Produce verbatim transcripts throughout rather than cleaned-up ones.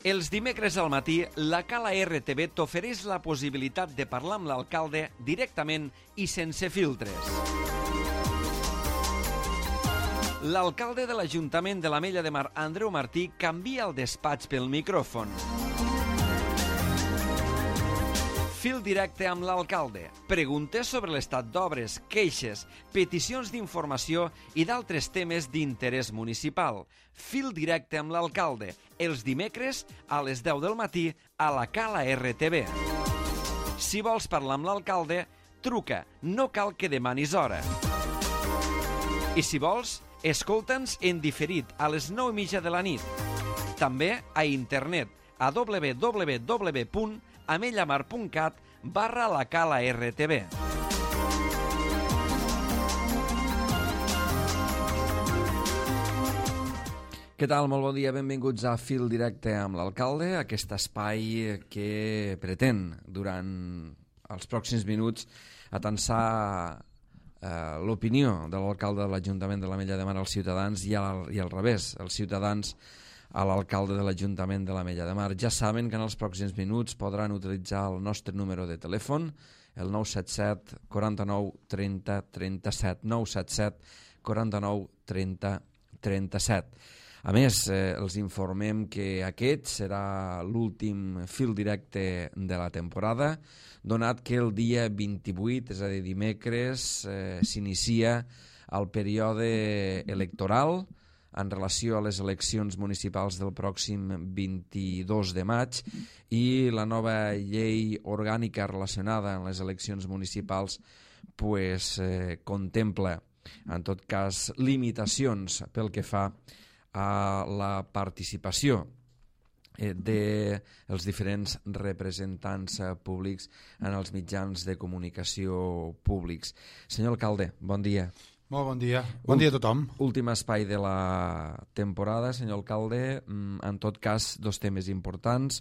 Els dimecres al matí, la Cala R T V t'ofereix la possibilitat de parlar amb l'alcalde directament i sense filtres. L'alcalde de l'Ajuntament de l'Ametlla de Mar, Andreu Martí, canvia el despatx pel micròfon. Fil directe amb l'alcalde. Preguntes sobre l'estat d'obres, queixes, peticions d'informació i d'altres temes d'interès municipal. Fil directe amb l'alcalde. Els dimecres a les deu del matí a la Cala R T V. Si vols parlar amb l'alcalde, truca. No cal que demanis hora. I si vols, escolta'ns en diferit a les nou i mitja de la nit. També a internet a w w w punt amellamar punt cat barra la Cala R T V. Què tal? Molt bon dia, benvinguts a Fil Directe amb l'alcalde, aquest espai que pretén, durant els pròxims minuts, atensar eh, l'opinió de l'alcalde de l'Ajuntament de l'Ametlla de Mar als ciutadans i al, i al revés, els ciutadans a l'alcalde de l'Ajuntament de l'Ametlla de Mar. Ja saben que en els pròxims minuts podran utilitzar el nostre número de telèfon, el nou set set, quaranta-nou, trenta, trenta-set, nou set set, quaranta-nou, trenta, trenta-set. A més, eh, els informem que aquest serà l'últim fil directe de la temporada, donat que el dia vint-i-vuit, és a dir, dimecres, eh, s'inicia el període electoral en relació a les eleccions municipals del pròxim vint-i-dos de maig i la nova llei orgànica relacionada amb les eleccions municipals pues, eh, contempla, en tot cas, limitacions pel que fa a la participació eh, dels diferents representants eh, públics en els mitjans de comunicació públics. Senyor alcalde, bon dia. Molt bon dia. Bon dia a tothom. Últim espai de la temporada, senyor alcalde. En tot cas, dos temes importants.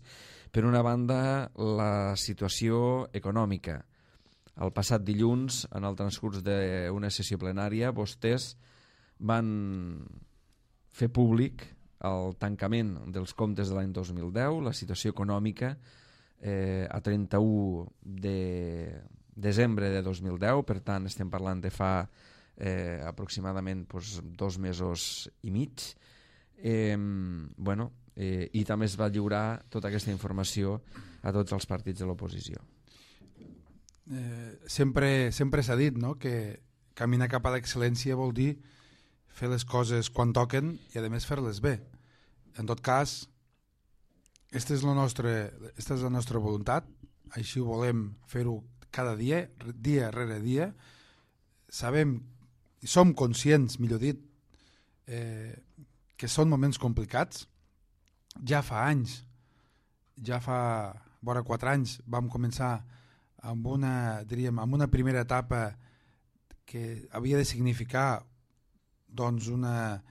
Per una banda, la situació econòmica. El passat dilluns, en el transcurs d'una sessió plenària, vostès van fer públic el tancament dels comptes de l'any dos mil deu, la situació econòmica eh, a trenta-u de desembre de dos mil deu, per tant estem parlant de fa eh, aproximadament pues, dos mesos i mig. Eh, bueno, eh, i també es va lliurar tota aquesta informació a tots els partits de l'oposició. Eh, sempre sempre s'ha dit, no?, que caminar cap a l'excel·lència vol dir fer les coses quan toquen i, a més, fer-les bé. En tot cas, aquesta és la nostra, esta és la nostra voluntat, així ho volem fer-ho cada dia, dia rere dia. Sabem, i som conscients, millor dit, eh, que són moments complicats. Ja fa anys, ja fa vora quatre anys, vam començar amb una, diríem, amb una primera etapa que havia de significar doncs una,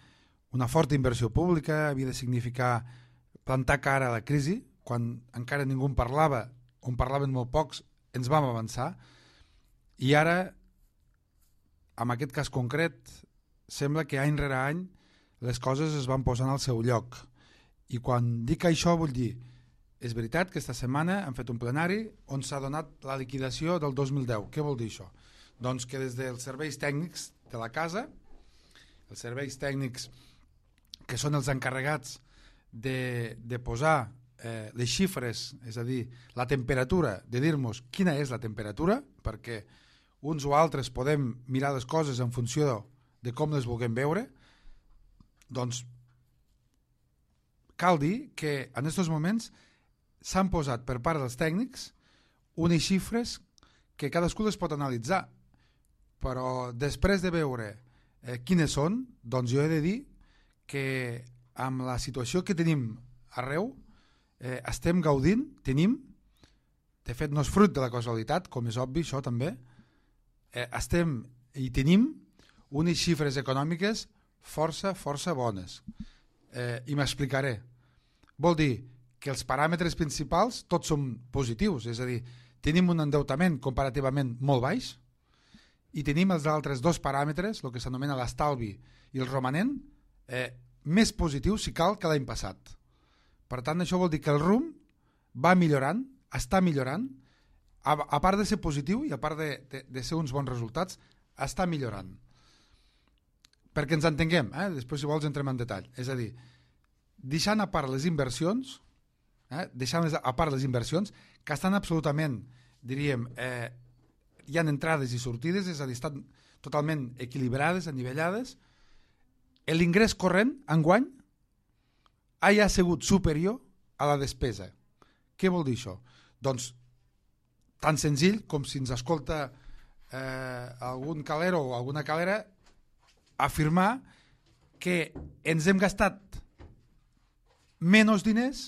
una forta inversió pública, havia de significar plantar cara a la crisi, quan encara ningú en parlava, on parlaven molt pocs, ens vam avançar, i ara, en aquest cas concret, sembla que any rere any les coses es van posant al seu lloc. I quan dic això vull dir, és veritat que esta setmana hem fet un plenari on s'ha donat la liquidació del dos mil deu. Què vol dir això? Doncs que des dels serveis tècnics de la casa, els serveis tècnics que són els encarregats de, de posar eh, les xifres, és a dir, la temperatura, de dir-nos quina és la temperatura, perquè uns o altres podem mirar les coses en funció de com les vulguem veure, doncs cal dir que en aquests moments s'han posat per part dels tècnics unes xifres que cadascú les pot analitzar, però després de veure eh, quines són, doncs jo he de dir que amb la situació que tenim arreu eh, estem gaudint, tenim, de fet no és fruit de la causalitat, com és obvi això també, eh, estem i tenim unes xifres econòmiques força, força bones. Eh, I m'explicaré. Vol dir que els paràmetres principals tots són positius, és a dir, tenim un endeutament comparativament molt baix i tenim els altres dos paràmetres, el que s'anomena l'estalvi i el romanent, eh, més positius si cal que l'any passat. Per tant, això vol dir que el rumb va millorant, està millorant, a, a part de ser positiu i a part de, de, de ser uns bons resultats, està millorant. Perquè ens entenguem, eh? Després si vols entrem en detall. És a dir, deixant a part les inversions, eh? deixant a part les inversions, que estan absolutament, diríem, eh, hi ha entrades i sortides, és a dir, estan totalment equilibrades, anivellades, l'ingrés corrent, enguany, ha sigut superior a la despesa. Què vol dir això? Doncs, tan senzill com si ens escolta eh, algun calero o alguna calera afirmar que ens hem gastat menys diners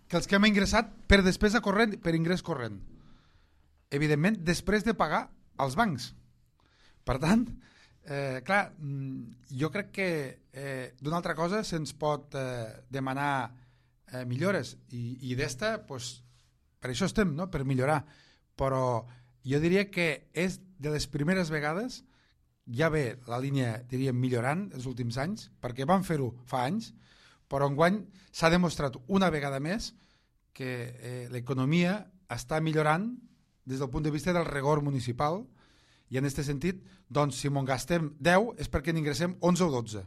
que els que hem ingressat per despesa corrent, per ingrés corrent. Evidentment, després de pagar als bancs. Per tant, eh, clar, jo crec que eh, d'una altra cosa se'ns pot eh, demanar eh, millores i, i d'esta, pues, per això estem, no? Per millorar. Però jo diria que és de les primeres vegades, ja ve la línia, diríem, millorant els últims anys, perquè vam fer-ho fa anys, però enguany s'ha demostrat una vegada més que eh, l'economia està millorant des del punt de vista del rigor municipal, i en aquest sentit, doncs, si m'ho gastem deu és perquè n'ingressem onze o dotze.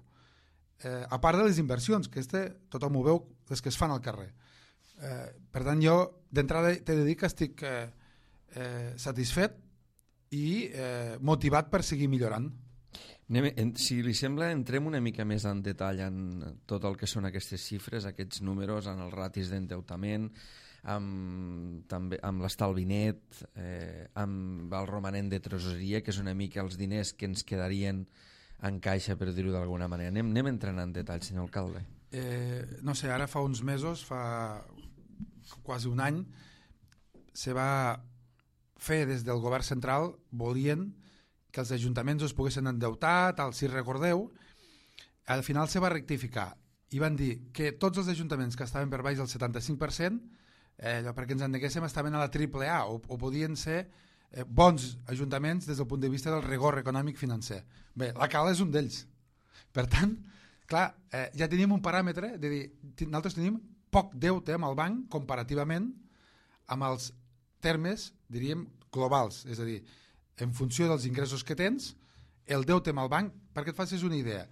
Eh, a part de les inversions, que este, tothom ho veu, les que es fan al carrer. Eh, per tant, jo d'entrada t'he de dir que estic eh, eh, satisfet i eh, motivat per seguir millorant. Anem, si li sembla, entrem una mica més en detall en tot el que són aquestes xifres, aquests números, en els ratis d'endeutament, amb, també, amb l'estalvi net, eh, amb el romanent de tresoreria, que és una mica els diners que ens quedarien en caixa, per dir-ho d'alguna manera. Anem, anem entrant en detall, senyor alcalde. Eh, no sé, ara fa uns mesos, fa quasi un any, se va fer des del govern central, volien que els ajuntaments es poguessin endeutar, tal, si recordeu, al final se va rectificar i van dir que tots els ajuntaments que estaven per baix del setanta-cinc per cent, eh, perquè ens entenguéssim, estaven a la triple A o, o podien ser eh, bons ajuntaments des del punt de vista del rigor econòmic financer. Bé, la Cala és un d'ells. Per tant, clar, eh, ja tenim un paràmetre de dir, nosaltres tenim poc deute amb el banc comparativament amb els termes, diríem, globals, és a dir, en funció dels ingressos que tens, el deute amb el banc, perquè et facis una idea,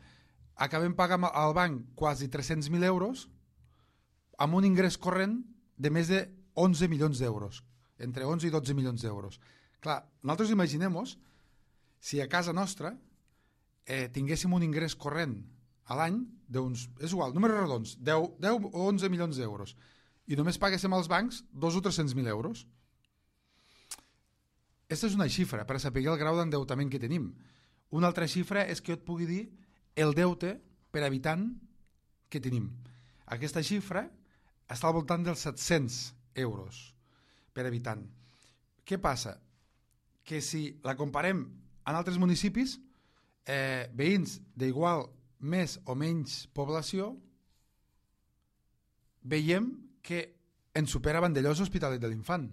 acabem pagant al banc quasi tres-cents mil euros amb un ingrés corrent de més de onze milions d'euros, entre onze i dotze milions d'euros. Clar, nosaltres imaginem-nos si a casa nostra eh, tinguéssim un ingrés corrent a l'any d'uns, és igual, números redons, deu, deu o onze milions d'euros, i només paguéssim als bancs dos o tres-cents mil euros. Aquesta és una xifra per saber el grau d'endeutament que tenim. Una altra xifra és que jo et pugui dir el deute per habitant que tenim. Aquesta xifra està al voltant dels set-cents euros per habitant. Què passa? Que si la comparem en altres municipis, eh, veïns d'igual més o menys població, veiem que ens supera Vandellós Hospitalet de l'Infant.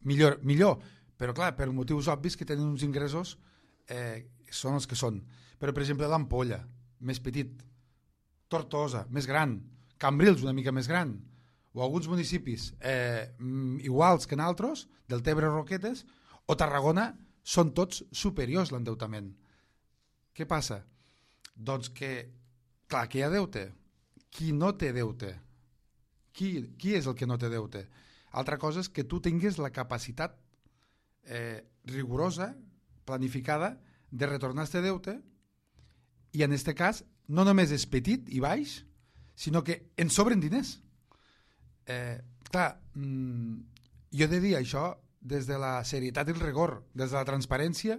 Millor, millor, però clar, per motius obvis que tenen uns ingressos eh, són els que són. Però, per exemple, l'Ampolla, més petit, Tortosa, més gran, Cambrils, una mica més gran, o alguns municipis eh, iguals que en altres, del Tebre Roquetes, o Tarragona, són tots superiors l'endeutament. Què passa? Doncs que, clar, que hi ha deute. Qui no té deute? Qui, qui és el que no té deute? Altra cosa és que tu tinguis la capacitat eh, rigorosa, planificada, de retornar este deute, i en aquest cas no només és petit i baix, sinó que ens sobren diners. Eh, clar, mmm, jo he de dir això des de la serietat i el rigor, des de la transparència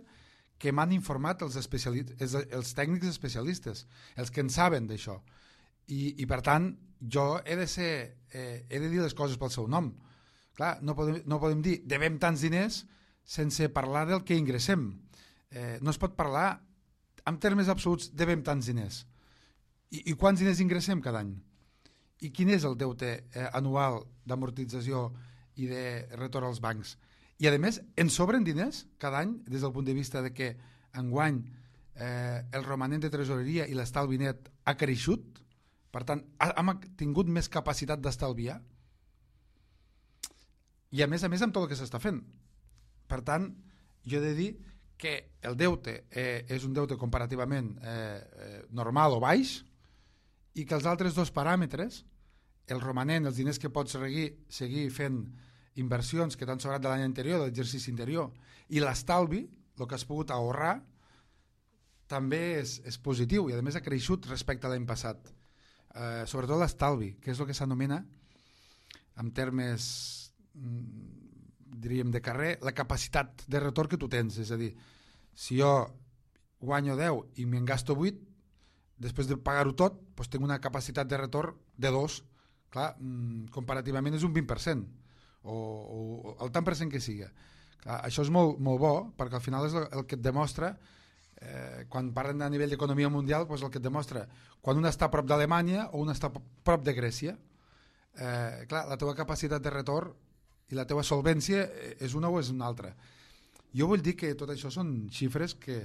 que m'han informat els, els, els tècnics especialistes, els que en saben d'això. I, I per tant, jo he de ser, eh, he de dir les coses pel seu nom. Clar, no podem, no podem dir devem tants diners sense parlar del que ingressem. Eh, no es pot parlar en termes absoluts devem tants diners. I, i quants diners ingressem cada any? I quin és el deute eh, anual d'amortització i de retorn als bancs? I a més, ens sobren diners cada any des del punt de vista de que enguany eh, el romanent de tresoreria i l'estalvi net ha creixut Per tant, hem tingut més capacitat d'estalviar i a més a més amb tot el que s'està fent. Per tant, jo he de dir que el deute eh, és un deute comparativament eh, eh, normal o baix i que els altres dos paràmetres, el romanent, els diners que pots seguir, seguir fent inversions que t'han sobrat de l'any anterior, de l'exercici anterior, i l'estalvi, el que has pogut ahorrar, també és, és positiu i a més ha creixut respecte a l'any passat. Eh, sobretot l'estalvi, que és el que s'anomena, en termes diríem de carrer, la capacitat de retorn que tu tens. És a dir, si jo guanyo deu i me'n gasto vuit, després de pagar-ho tot, doncs tinc una capacitat de retorn de dos. Clar, comparativament és un vint per cent, o, o el tant per cent que siga. Clar, això és molt, molt bo, perquè al final és el, el que et demostra, eh, quan parlen a nivell d'economia mundial, doncs el que et demostra quan un està a prop d'Alemanya o un està a prop de Grècia. Eh, clar, la teva capacitat de retorn i la teva solvència és una o és una altra. Jo vull dir que tot això són xifres que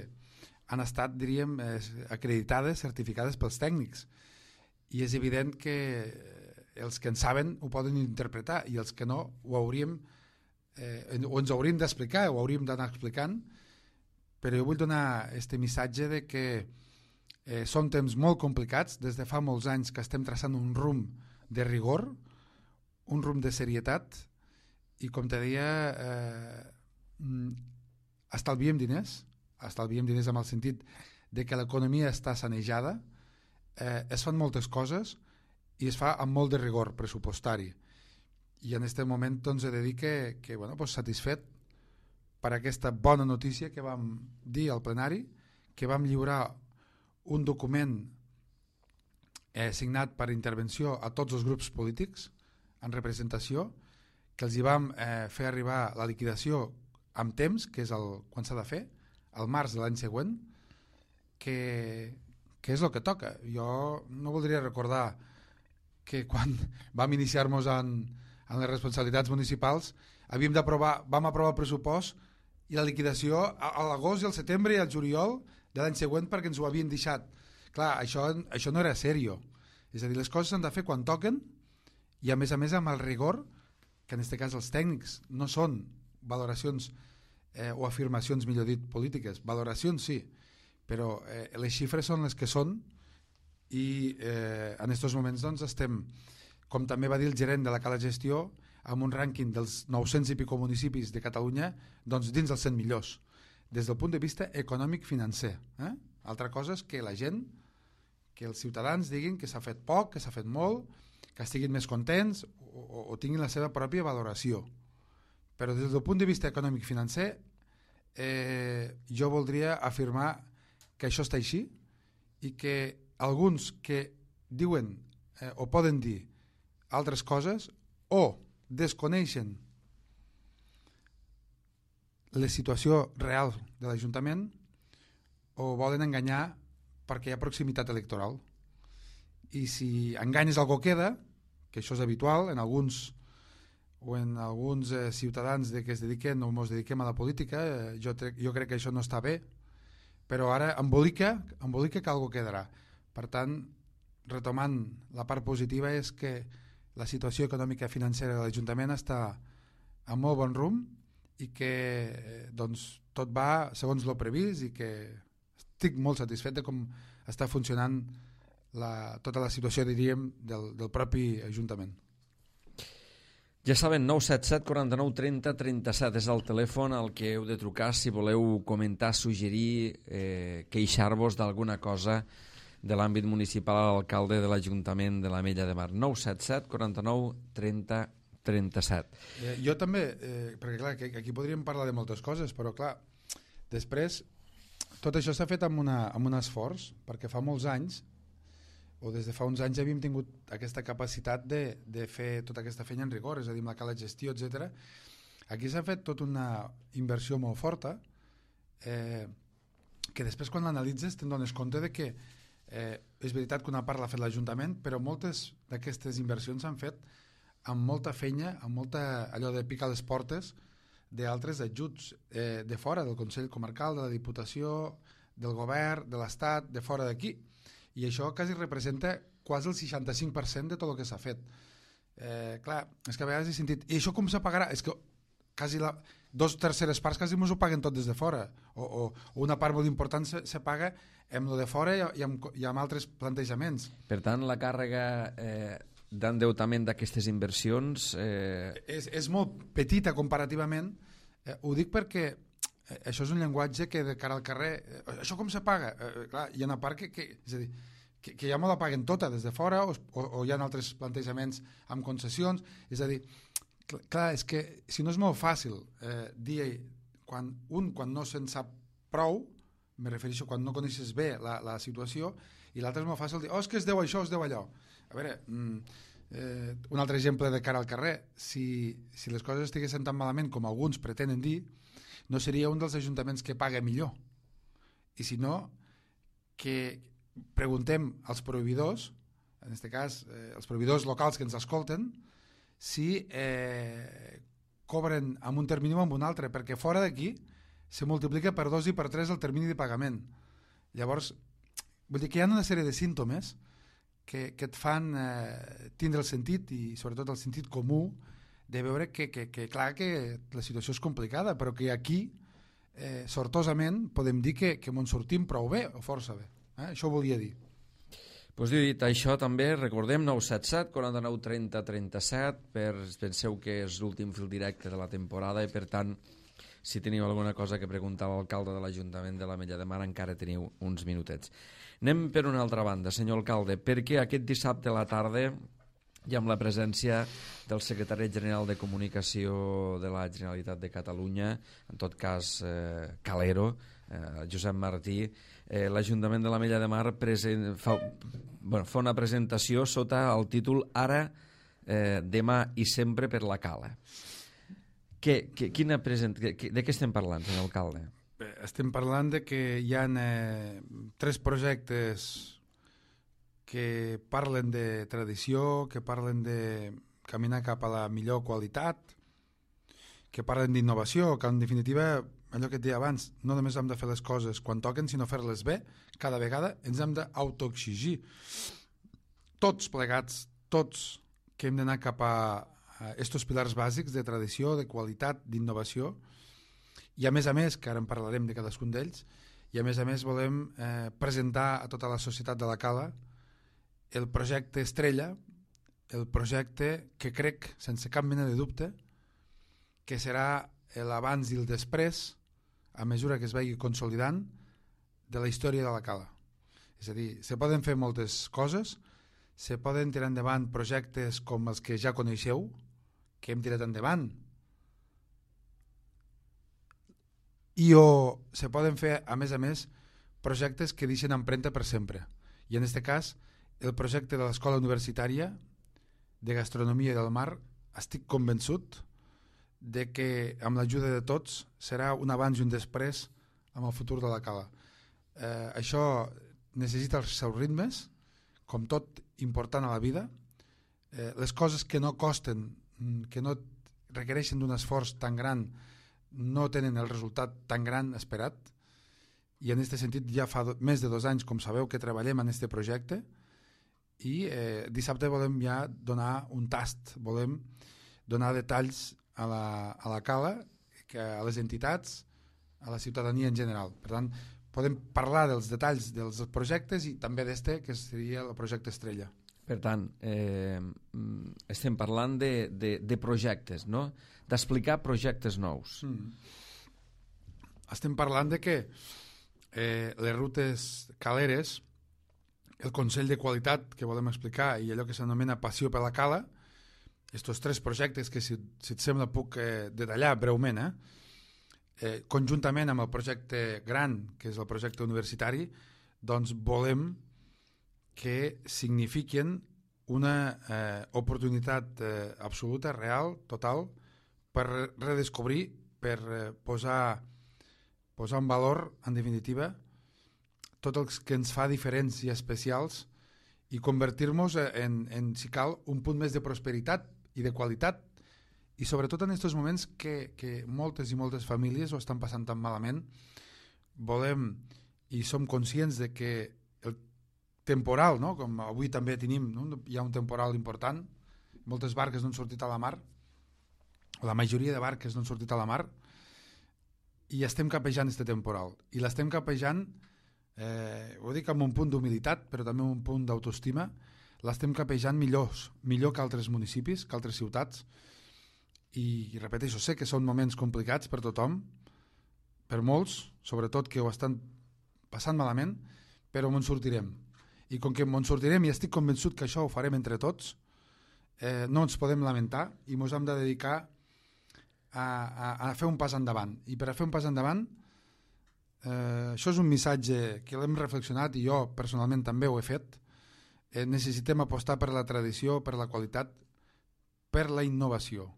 han estat, diríem, acreditades, certificades pels tècnics, i és evident que els que en saben ho poden interpretar i els que no ho hauríem eh, o ens hauríem d'explicar, ho hauríem d'anar explicant, però jo vull donar aquest missatge de que eh, són temps molt complicats, des de fa molts anys que estem traçant un rumb de rigor, un rumb de serietat, i com te deia, eh, estalviem diners, estalviem diners amb el sentit de que l'economia està sanejada, eh, es fan moltes coses i es fa amb molt de rigor pressupostari. I en aquest moment doncs, he de dir que, que bueno, doncs, satisfet per aquesta bona notícia que vam dir al plenari, que vam lliurar un document eh, signat per intervenció a tots els grups polítics en representació, que els hi vam eh, fer arribar la liquidació amb temps, que és el, quan s'ha de fer, al març de l'any següent, que, que és el que toca. Jo no voldria recordar que quan vam iniciar-nos en, en les responsabilitats municipals havíem d'aprovar, vam aprovar el pressupost i la liquidació a, a l'agost i al setembre i al juliol de l'any següent perquè ens ho havien deixat. Clar, això, això no era serio. És a dir, les coses s'han de fer quan toquen i a més a més amb el rigor que en aquest cas els tècnics no són valoracions eh, o afirmacions, millor dit, polítiques. Valoracions sí, però eh, les xifres són les que són i eh, en aquests moments doncs, estem, com també va dir el gerent de la Cala Gestió, amb un rànquing dels nou-cents i pico municipis de Catalunya doncs, dins dels cent millors, des del punt de vista econòmic-financer. Eh? Altra cosa és que la gent, que els ciutadans diguin que s'ha fet poc, que s'ha fet molt, que estiguin més contents o, o, o tinguin la seva pròpia valoració. Però des del punt de vista econòmic-financer eh, jo voldria afirmar que això està així i que alguns que diuen eh, o poden dir altres coses o desconeixen la situació real de l'Ajuntament o volen enganyar perquè hi ha proximitat electoral. I si enganyes algú queda, que això és habitual en alguns o en alguns eh, ciutadans de que es dediquen o ens dediquem a la política, eh, jo, jo crec que això no està bé, però ara embolica, embolica que algú quedarà. Per tant, retomant la part positiva és que la situació econòmica i financera de l'Ajuntament està a molt bon rumb i que eh, doncs, tot va segons lo previst i que estic molt satisfet de com està funcionant la, tota la situació, diríem, del, del propi Ajuntament. Ja saben, nou set set, quaranta-nou, trenta, trenta-set és el telèfon al que heu de trucar si voleu comentar, suggerir, eh, queixar-vos d'alguna cosa de l'àmbit municipal a l'alcalde de l'Ajuntament de l'Ametlla de Mar. nou set set, quaranta-nou, trenta, trenta-set. Eh, jo també, eh, perquè clar, aquí podríem parlar de moltes coses, però clar, després tot això s'ha fet amb, una, amb un esforç, perquè fa molts anys o des de fa uns anys ja havíem tingut aquesta capacitat de, de fer tota aquesta feina en rigor, és a dir, amb la cala gestió, etcètera. Aquí s'ha fet tota una inversió molt forta eh, que després quan l'analitzes te'n dones compte de que eh, és veritat que una part l'ha fet l'Ajuntament, però moltes d'aquestes inversions s'han fet amb molta feina, amb molta allò de picar les portes d'altres ajuts eh, de fora, del Consell Comarcal, de la Diputació, del Govern, de l'Estat, de fora d'aquí. I això quasi representa quasi el seixanta-cinc per cent de tot el que s'ha fet. Eh, clar, és que a vegades he sentit, i això com se pagarà? És que quasi la, dos terceres parts quasi ens ho paguen tot des de fora, o, o, o una part molt important se, se paga amb lo de fora i, i, amb, i amb altres plantejaments. Per tant, la càrrega eh, d'endeutament d'aquestes inversions... Eh... És, és molt petita comparativament. Eh, ho dic perquè eh, això és un llenguatge que de cara al carrer... Eh, això com se paga? Eh, clar, hi ha una part que... que és a dir, que, que ja me la paguen tota des de fora o, o, o hi ha altres plantejaments amb concessions. És a dir, cl clar, és que si no és molt fàcil eh, dir quan un quan no se'n sap prou, me refereixo quan no coneixes bé la, la situació, i l'altre és molt fàcil dir, oh, és que es deu això, es deu allò. A veure, mm, eh, un altre exemple de cara al carrer, si, si les coses estiguessin tan malament com alguns pretenen dir, no seria un dels ajuntaments que paga millor. I si no, que preguntem als proveïdors, en aquest cas eh, els proveïdors locals que ens escolten, si eh, cobren amb un termini o amb un altre, perquè fora d'aquí se multiplica per dos i per tres el termini de pagament. Llavors, vull dir que hi ha una sèrie de símptomes que, que et fan eh, tindre el sentit, i sobretot el sentit comú, de veure que, que, que clar que la situació és complicada, però que aquí, eh, sortosament, podem dir que, que ens sortim prou bé, o força bé. Eh? Això ho volia dir. Pues dit això, també recordem nou set set, quaranta-nou trenta trenta-set, per, penseu que és l'últim fil directe de la temporada i per tant, si teniu alguna cosa que preguntar a l'alcalde de l'Ajuntament de l'Ametlla de Mar encara teniu uns minutets. Anem per una altra banda, senyor alcalde, perquè aquest dissabte a la tarda i amb la presència del secretari general de Comunicació de la Generalitat de Catalunya, en tot cas eh, Calero, eh, Josep Martí, eh, l'Ajuntament de l'Ametlla de Mar present, fa, bueno, fa una presentació sota el títol Ara, eh, demà i sempre per la Cala. Que, que, quina present, que, de què estem parlant, senyor alcalde? Bé, estem parlant de que hi ha eh, tres projectes que parlen de tradició, que parlen de caminar cap a la millor qualitat, que parlen d'innovació, que en definitiva, allò que et deia abans, no només hem de fer les coses quan toquen, sinó fer-les bé. Cada vegada ens hem d'autoexigir. Tots plegats, tots que hem d'anar cap a estos pilars bàsics de tradició, de qualitat, d'innovació, i a més a més, que ara en parlarem de cadascun d'ells, i a més a més volem eh, presentar a tota la societat de la Cala el projecte Estrella, el projecte que crec, sense cap mena de dubte, que serà l'abans i el després, a mesura que es vagi consolidant, de la història de la Cala. És a dir, se poden fer moltes coses, se poden tirar endavant projectes com els que ja coneixeu, que hem tirat endavant, i o se poden fer, a més a més, projectes que deixen empremta per sempre. I en aquest cas, el projecte de l'Escola Universitària de Gastronomia del Mar, estic convençut de que amb l'ajuda de tots serà un abans i un després amb el futur de la Cala. Eh, això necessita els seus ritmes, com tot important a la vida. Eh, les coses que no costen, que no requereixen d'un esforç tan gran, no tenen el resultat tan gran esperat, i en aquest sentit ja fa do, més de dos anys, com sabeu, que treballem en aquest projecte, i eh, dissabte volem ja donar un tast, volem donar detalls a la, a la Cala, que a les entitats, a la ciutadania en general. Per tant, podem parlar dels detalls dels projectes i també d'este, que seria el projecte Estrella. Per tant, eh, estem parlant de, de, de projectes, no? D'explicar projectes nous. Mm. Estem parlant de que eh, les rutes caleres, el Consell de Qualitat que volem explicar i allò que s'anomena Passió per la Cala, aquests tres projectes que, si, si et sembla, puc eh, detallar breument, eh? Eh, conjuntament amb el projecte gran, que és el projecte universitari, doncs volem que signifiquen una eh, oportunitat eh, absoluta, real, total, per redescobrir, per eh, posar, posar en valor, en definitiva, tot el que ens fa diferents i especials i convertir-nos en, en, si cal, un punt més de prosperitat i de qualitat, i sobretot en aquests moments que, que moltes i moltes famílies ho estan passant tan malament, volem i som conscients de que el temporal, no? Com avui també tenim, no? Hi ha un temporal important, moltes barques no han sortit a la mar, la majoria de barques no han sortit a la mar, i estem capejant este temporal. I l'estem capejant, eh, ho dic amb un punt d'humilitat, però també amb un punt d'autoestima, l'estem capejant millors, millor que altres municipis, que altres ciutats, i, i repeteixo, sé que són moments complicats per tothom, per molts, sobretot que ho estan passant malament, però m'en sortirem. I com que m'en sortirem i estic convençut que això ho farem entre tots, eh, no ens podem lamentar i ens hem de dedicar a, a, a fer un pas endavant. I per a fer un pas endavant, eh, això és un missatge que l'hem reflexionat i jo personalment també ho he fet. Eh, necessitem apostar per la tradició, per la qualitat, per la innovació.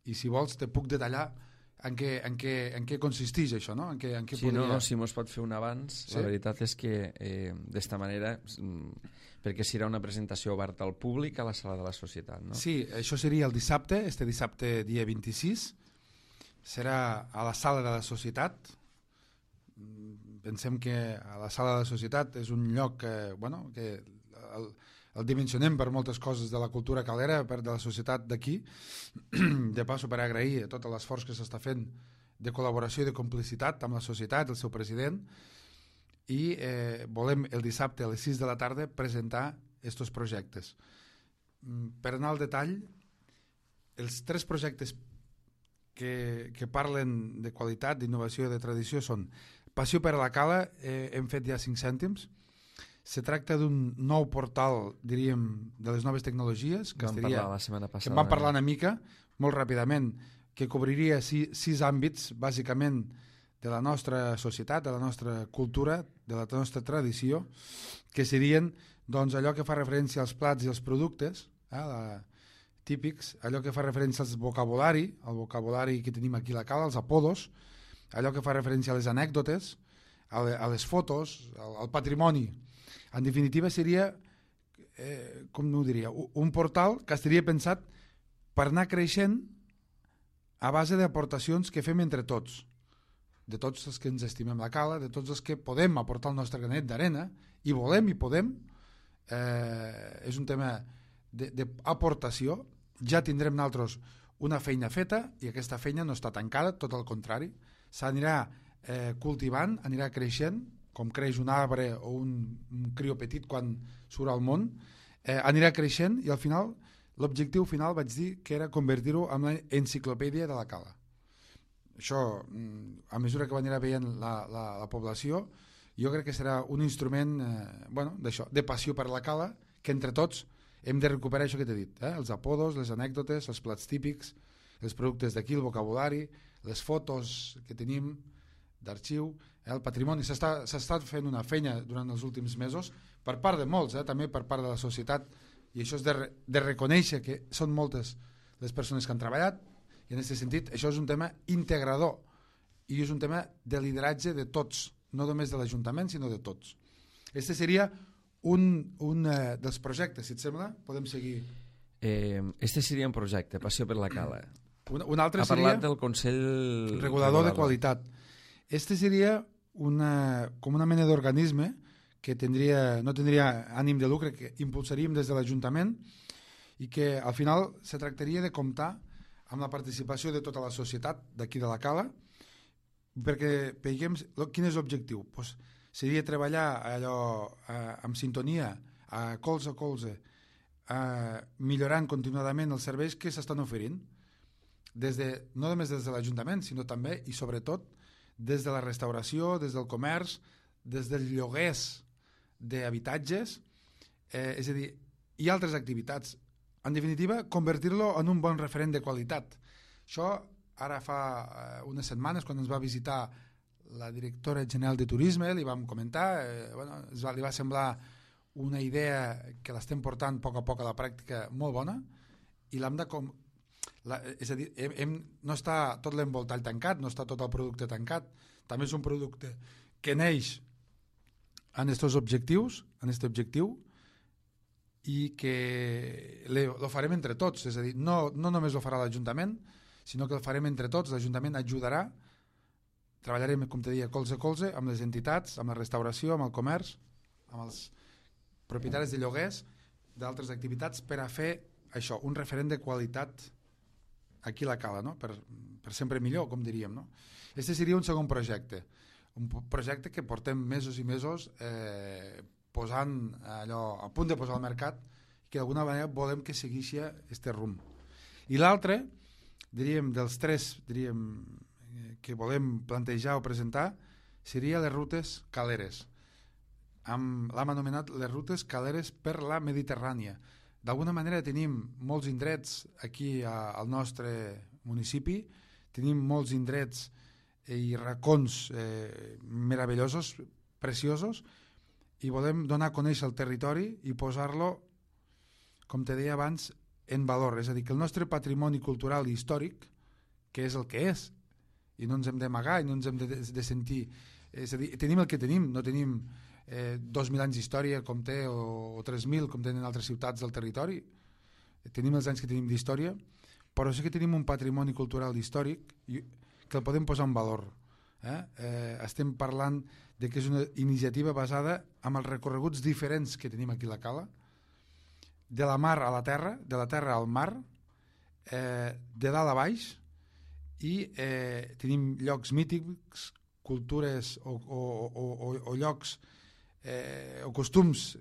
I si vols te puc detallar en què, en què, en què consisteix això, no? En què, en què sí, podria... no, no, si mos pot fer un abans, sí? La veritat és que eh, d'esta manera, perquè serà una presentació oberta al públic a la sala de la societat, no? Sí, això seria el dissabte, este dissabte dia vint-i-sis, serà a la sala de la societat. Pensem que a la sala de la societat és un lloc que, bueno, que el, el dimensionem per moltes coses de la cultura calera, per de la societat d'aquí. De passo, per agrair tot l'esforç que s'està fent de col·laboració i de complicitat amb la societat, el seu president, i eh, volem el dissabte a les sis de la tarda presentar aquests projectes. Per anar al detall, els tres projectes que, que parlen de qualitat, d'innovació i de tradició són Passió per a la Cala, eh, hem fet ja cinc cèntims. Se tracta d'un nou portal, diríem, de les noves tecnologies, que, vam estaria, parlar la setmana passada, que en vam parlar eh? una mica, molt ràpidament, que cobriria sis, sis àmbits, bàsicament, de la nostra societat, de la nostra cultura, de la nostra tradició, que serien doncs, allò que fa referència als plats i als productes, eh, la, típics, allò que fa referència al vocabulari, el vocabulari que tenim aquí a la Cala, els apodos, allò que fa referència a les anècdotes, a, le, a les fotos, al, al patrimoni. En definitiva seria, eh, com ho diria, un portal que estaria pensat per anar creixent a base d'aportacions que fem entre tots, de tots els que ens estimem la Cala, de tots els que podem aportar el nostre granet d'arena, i volem i podem. Eh, és un tema d'aportació. Ja tindrem nosaltres una feina feta i aquesta feina no està tancada, tot el contrari. S'anirà eh, cultivant, anirà creixent, com creix un arbre o un, un crió petit quan surt al món, eh, anirà creixent i al final, l'objectiu final vaig dir que era convertir-ho en l'enciclopèdia de la Cala. Això, a mesura que anirà veient la, la, la població, jo crec que serà un instrument eh, bueno, d'això, de passió per la Cala, que entre tots hem de recuperar això que t'he dit, eh? Els apodos, les anècdotes, els plats típics, els productes d'aquí, el vocabulari, les fotos que tenim d'arxiu, eh? El patrimoni. S'ha estat fent una feina durant els últims mesos per part de molts, eh? També per part de la societat, i això és de, re, de reconèixer que són moltes les persones que han treballat, i en aquest sentit això és un tema integrador i és un tema de lideratge de tots, no només de l'Ajuntament sinó de tots. Este seria un, un eh, dels projectes, si et sembla, podem seguir. Eh, este seria un projecte, Passió per la Cala. Un, un altre ha seria parlat del Consell regulador, regulador de qualitat. Este seria una, com una mena d'organisme que tindria, no tindria ànim de lucre, que impulsaríem des de l'Ajuntament i que al final se tractaria de comptar amb la participació de tota la societat d'aquí de la Cala, perquè veiem quin és l'objectiu. Pues seria treballar allò eh, amb sintonia, a colze a colze, eh, millorant continuadament els serveis que s'estan oferint, des de, no només des de l'Ajuntament, sinó també i sobretot des de la restauració, des del comerç, des dels lloguers d'habitatges, eh, és a dir, i altres activitats. En definitiva, convertir-lo en un bon referent de qualitat. Això ara fa eh, unes setmanes, quan ens va visitar la directora general de Turisme, li vam comentar, eh, bueno, es va, li va semblar una idea que l'estem portant a poc a poc a la pràctica molt bona, i l'hem de... Com, la, és a dir, hem, hem, no està tot l'envoltall tancat, no està tot el producte tancat, també és un producte que neix en aquests objectius, en aquest objectiu, i que lo farem entre tots, és a dir, no, no només ho farà l'Ajuntament, sinó que el farem entre tots, l'Ajuntament ajudarà, treballarem, com te deia, colze a colze, amb les entitats, amb la restauració, amb el comerç, amb els propietaris de lloguers, d'altres activitats, per a fer això, un referent de qualitat aquí a la Cala, no? per, per sempre millor, com diríem. No? Este seria un segon projecte, un projecte que portem mesos i mesos eh, posant allò a punt de posar al mercat, que d'alguna manera volem que segueixi este rumb. I l'altre, diríem, dels tres diríem, que volem plantejar o presentar, seria les rutes caleres. L'hem anomenat les rutes caleres per la Mediterrània. D'alguna manera tenim molts indrets aquí a, al nostre municipi, tenim molts indrets i racons eh, meravellosos, preciosos, i volem donar a conèixer el territori i posar-lo, com te deia abans, en valor. És a dir, que el nostre patrimoni cultural i històric, que és el que és, i no ens hem d'amagar i no ens hem de, de sentir... És a dir, tenim el que tenim, no tenim eh, dos mil anys d'història com té, o, o tres mil com tenen altres ciutats del territori, tenim els anys que tenim d'història, però sí que tenim un patrimoni cultural i històric i, que el podem posar en valor. Eh? Eh, estem parlant de que és una iniciativa basada en els recorreguts diferents que tenim aquí a la Cala, de la mar a la terra, de la terra al mar, eh, de dalt a baix, i eh, tenim llocs mítics, cultures o, o, o, o, o llocs eh, o costums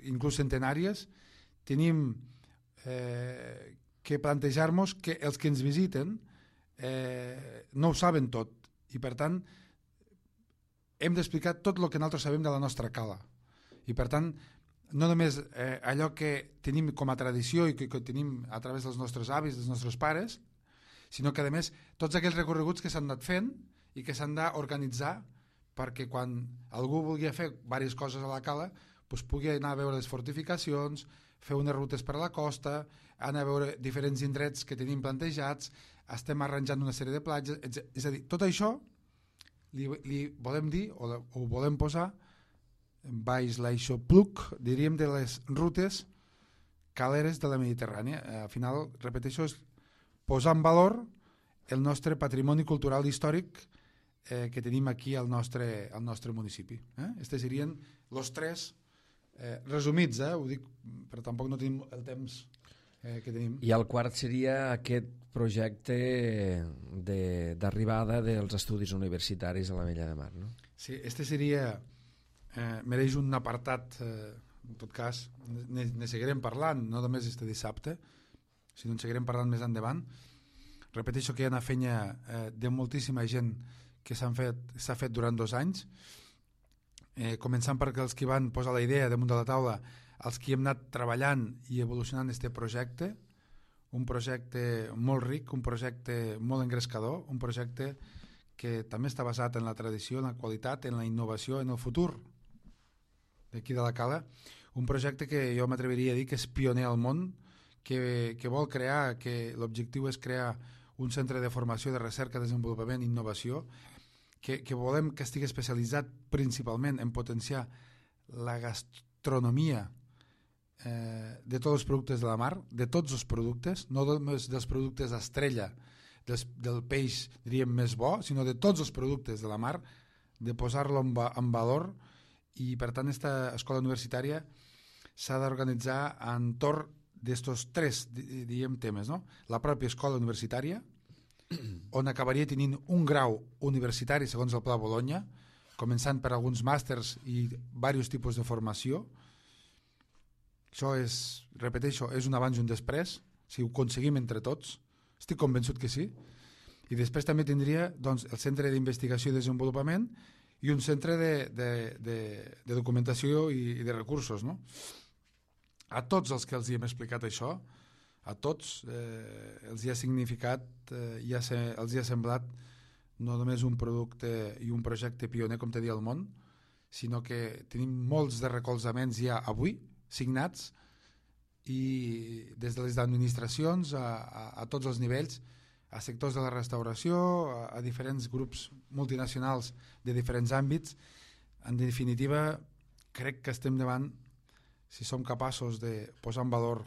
inclús centenàries. Tenim eh, que plantejar-nos que els que ens visiten eh, no ho saben tot i per tant hem d'explicar tot el que nosaltres sabem de la nostra Cala i per tant no només eh, allò que tenim com a tradició i que, que tenim a través dels nostres avis, dels nostres pares, sinó que a més tots aquells recorreguts que s'han anat fent i que s'han d'organitzar perquè quan algú vulgui fer diverses coses a la Cala doncs pugui anar a veure les fortificacions, fer unes rutes per a la costa, anar a veure diferents indrets que tenim plantejats, estem arranjant una sèrie de platges, és a dir, tot això li, li volem dir o, o volem posar baix l'aixopluc, diríem, de les rutes caleres de la Mediterrània. Al final, repeteixo, és posar en valor el nostre patrimoni cultural i històric eh, que tenim aquí al nostre, al nostre municipi. Eh? Estes serien els tres eh, resumits, eh? Ho dic, però tampoc no tenim el temps eh, que tenim. I el quart seria aquest projecte d'arribada de, dels estudis universitaris a l'Ametlla de Mar, no? Sí, este seria, eh, mereix un apartat, eh, en tot cas, ne, ne seguirem parlant, no només este dissabte, sinó en seguirem parlant més endavant. Repeteixo que hi ha una feina eh, de moltíssima gent que s'ha fet, s'ha fet durant dos anys, eh, començant perquè els que van posar la idea damunt de la taula, els que hem anat treballant i evolucionant aquest projecte, un projecte molt ric, un projecte molt engrescador, un projecte que també està basat en la tradició, en la qualitat, en la innovació, en el futur d'aquí de la Cala, un projecte que jo m'atreviria a dir que és pioner al món, que, que vol crear, que l'objectiu és crear un centre de formació, de recerca, desenvolupament i innovació, que, que volem que estigui especialitzat principalment en potenciar la gastronomia eh, de tots els productes de la mar, de tots els productes, no només dels productes estrella, des, del peix, diríem, més bo, sinó de tots els productes de la mar, de posar-lo en, va, en valor, i per tant aquesta escola universitària s'ha d'organitzar entorn d'estos tres, diguem, temes, no? La pròpia escola universitària, on acabaria tenint un grau universitari segons el Pla Bologna, començant per alguns màsters i diversos tipus de formació. Això és, repeteixo, és un abans i un després, si ho aconseguim entre tots, estic convençut que sí. I després també tindria doncs, el centre d'investigació i desenvolupament i un centre de, de, de, de documentació i, i de recursos, no? A tots els que els hi hem explicat això, a tots eh, els hi ha significat, eh, i ha se, els hi ha semblat no només un producte i un projecte pioner, com te dia al món, sinó que tenim molts de recolzaments ja avui, signats, i des de les administracions a, a, a tots els nivells, a sectors de la restauració, a, a diferents grups multinacionals de diferents àmbits. En definitiva, crec que estem davant, si som capaços de posar en valor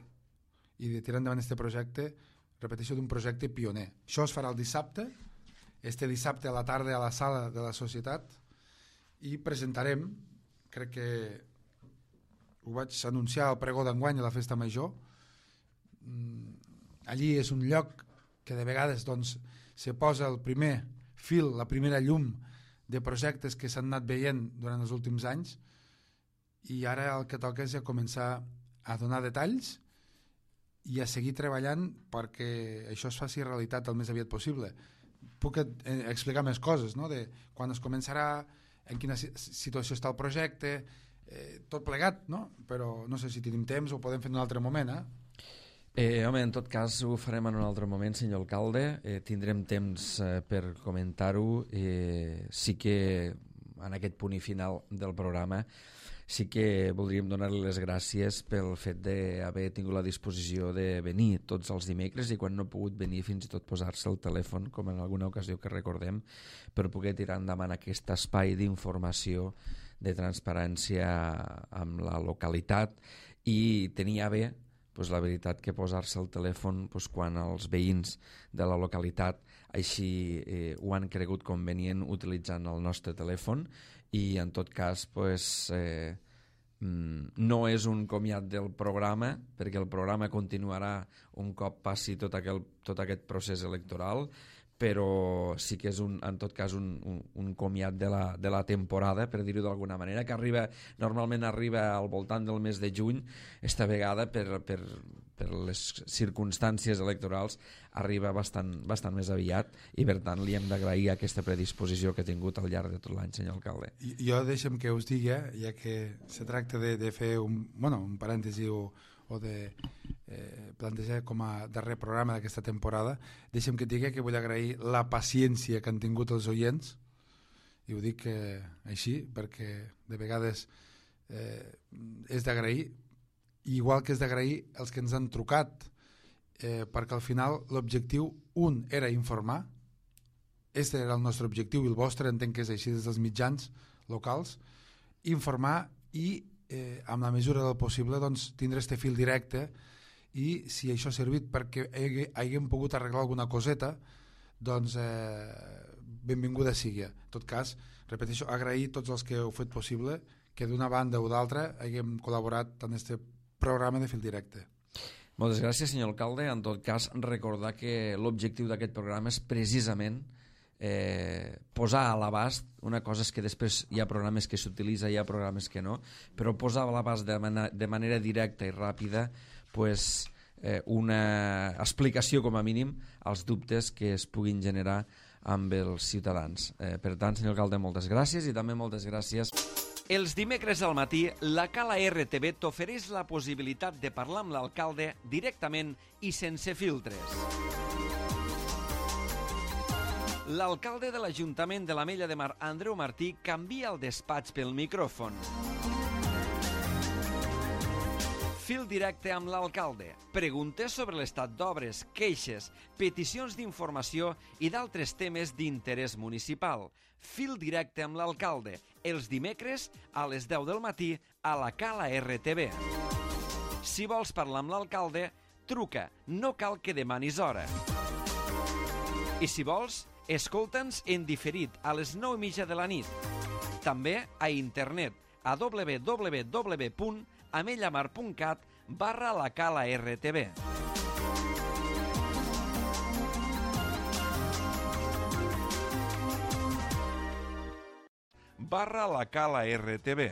i de tirar endavant aquest projecte, repeteixo, d'un projecte pioner. Això es farà el dissabte, este dissabte a la tarda a la sala de la societat, i presentarem, crec que ho vaig anunciar al pregó d'enguany a la festa major. Allí és un lloc que de vegades doncs, se posa el primer fil, la primera llum de projectes que s'han anat veient durant els últims anys, i ara el que toca és ja començar a donar detalls i a seguir treballant perquè això es faci realitat el més aviat possible. Puc explicar més coses, no? De quan es començarà, en quina situació està el projecte, eh, tot plegat, no? Però no sé si tenim temps o ho podem fer en un altre moment, eh? Eh, home, en tot cas ho farem en un altre moment, senyor alcalde. Eh, tindrem temps eh, per comentar-ho. Eh, sí que en aquest punt i final del programa sí que voldríem donar-li les gràcies pel fet d'haver tingut la disposició de venir tots els dimecres i quan no ha pogut venir fins i tot posar-se el telèfon, com en alguna ocasió que recordem, per poder tirar endavant aquest espai d'informació, de transparència amb la localitat i tenia bé, pues, la veritat que posar-se el telèfon pues, quan els veïns de la localitat així eh, ho han cregut convenient utilitzant el nostre telèfon i en tot cas pues, eh, no és un comiat del programa perquè el programa continuarà un cop passi tot, aquel, tot aquest procés electoral, però sí que és un, en tot cas un, un, un comiat de la, de la temporada, per dir-ho d'alguna manera, que arriba, normalment arriba al voltant del mes de juny, esta vegada per, per, per les circumstàncies electorals arriba bastant, bastant més aviat i per tant li hem d'agrair aquesta predisposició que ha tingut al llarg de tot l'any, senyor alcalde. Jo deixem que us digui, ja que se tracta de, de fer un, bueno, un parèntesi o, o de eh, plantejar com a darrer programa d'aquesta temporada, deixem que et digui que vull agrair la paciència que han tingut els oients, i ho dic eh, així perquè de vegades eh, és d'agrair, igual que és d'agrair els que ens han trucat, eh, perquè al final l'objectiu un era informar, este era el nostre objectiu i el vostre entenc que és així des dels mitjans locals, informar i eh, amb la mesura del possible doncs, tindre este fil directe i si això ha servit perquè haguem pogut arreglar alguna coseta doncs eh, benvinguda sigui. En tot cas, repeteixo, agrair tots els que heu fet possible que d'una banda o d'altra haguem col·laborat en este programa de fil directe. Moltes gràcies, senyor alcalde. En tot cas, recordar que l'objectiu d'aquest programa és precisament eh, posar a l'abast, una cosa és que després hi ha programes que s'utilitza, hi ha programes que no, però posar a l'abast de, man de manera directa i ràpida pues, eh, una explicació com a mínim als dubtes que es puguin generar amb els ciutadans. Eh, per tant, senyor alcalde, moltes gràcies i també moltes gràcies. Els dimecres al matí, la Cala R T V t'ofereix la possibilitat de parlar amb l'alcalde directament i sense filtres. L'alcalde de l'Ajuntament de l'Ametlla de Mar, Andreu Martí, canvia el despatx pel micròfon. Fil directe amb l'alcalde. Preguntes sobre l'estat d'obres, queixes, peticions d'informació i d'altres temes d'interès municipal. Fil directe amb l'alcalde. Els dimecres a les deu del matí a la Cala R T V. Si vols parlar amb l'alcalde, truca. No cal que demanis hora. I si vols, escolta'ns en diferit a les nou i mitja de la nit. També a internet a w w w punt amellamar punt cat barra la Cala R T V. Barra la Cala R T V.